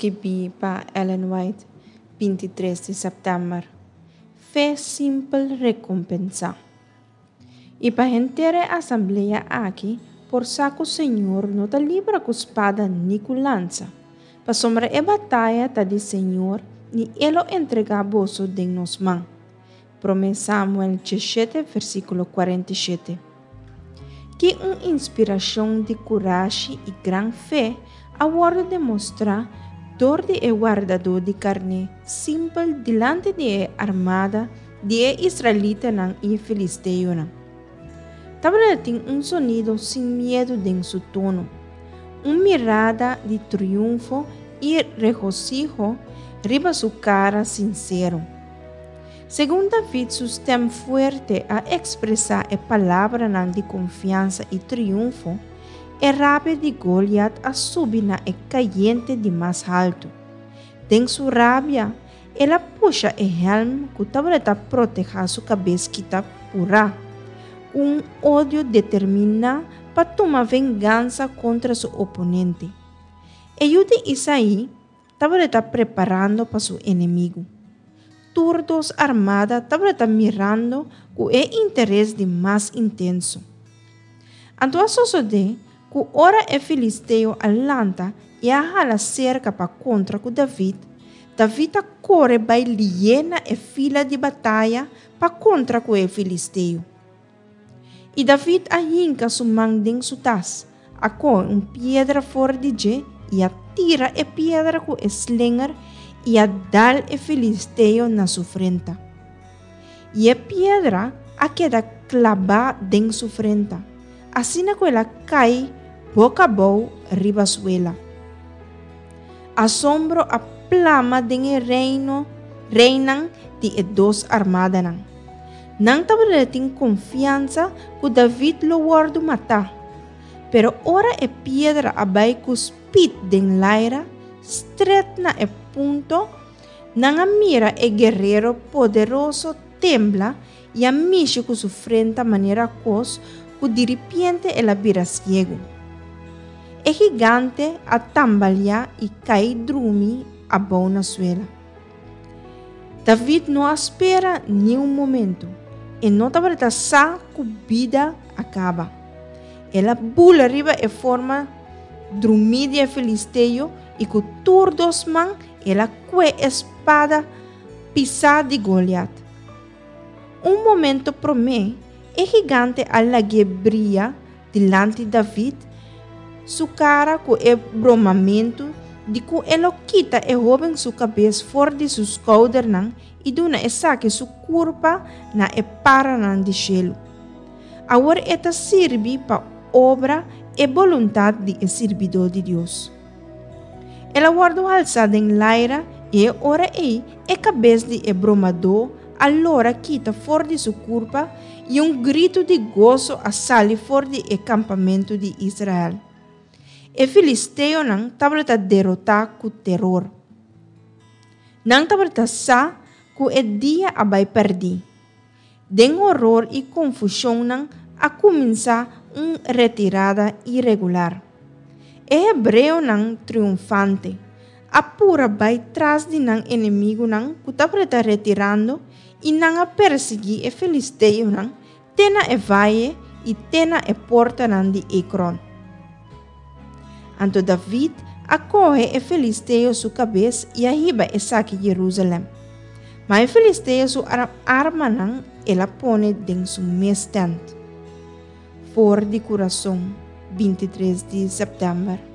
Skibí pa Ellen White, 23 di sèptèmber. Fe simpel rekompensá. I pa henter e asamblea aki por sa ku Señor no ta libra ku spada ni ku lansa, pasobra e bataya ta di Señor i e lo entregá boso den nos man. Promé Samuel 17, versíkulo 47. Ki un inspirashon di kurashi i gran fe a wòrdu demostrá dor di e wardadó di karné simpel dilanti di e armada di e israelitanan i e filisteonan! Tabata tin un sonido sin miedu den su tono, un mirada di triunfo i regosiho riba su kara sinsero. Segun David su stèm fuerte a ekspresá e palabranan di konfiansa i triunfo, e rabia di Goliat a subi na e kayente di mas haltu. Den su rabia, el a pusha e hèlm ku tabata protehá su kabes kita purá, ku un odio determiná pa tuma vengansa kontra su oponente. E yu di Isaí tabata preparando pa su enemigu. Tur dos armada tabata mirando ku e interes di mas intenso. Anto a sosodé ku ora e filisteo a lanta i a hala serka pa kontra ku David, David a kore bai lié na e fila di bataya pa kontra ku e filisteo. I David a hinka su man den su tas, a kohe un piedra for di dje i a tira e piedra ku e slinger i a dal e filisteo na su frenta. I e piedra a keda klabá den su frenta, asina ku el a kai boka abou riba suela. Asombro a plama den e reino reinan di e dos armadanan. Nan tabata tin konfiansa ku David lo wòrdu matá. Pero ora e piedra a bai ku spit den laira, stret na e punto, nan a mira e guerero poderoso tembla i a mishi ku su frenta manera kos ku diripiente el a bira siegu. E gigante a tambaliá i kai drumi abou na suela. David no a spera ni un momento. E no tabata sa ku bida a kaba. El a bula riba e forma drumí di e filisteo i ku tur dos man el a kue e spada pisá di Goliat. Un momento promé, e gigante a lag'é bria dilanti David su kara ku e bromamentu di ku e lo kita e hóben su kabes for di su skoudernan i duna esaki su kurpa na e paranan di shelu. Awor e ta sirbi pa obra e boluntat di e sirbidó di Dios. El a wòrdu halsá den laira i e ora ei e kabes di e bromadó a lora kita for di su kurpa i un gritu di goso a sali for di e kampamentu di Israel. E filisteonan tabata derotá ku teror. Nan tabata sa ku e dia a bai pèrdí. Den horor i konfushon nan a kuminsá un retirada iregular. E hebreonan triunfante a pura bai tras di nan enemigunan ku tabata retirando i nan a persiguí e filisteonan te na e vaye i te na e portanan di Ekron. Anto David a kohe e filisteo su kabes i a hiba esaki Jerusalèm. Ma e filisteo su armanan el a pone den su mes tènt. For di kurason, 23 di sèptèmber.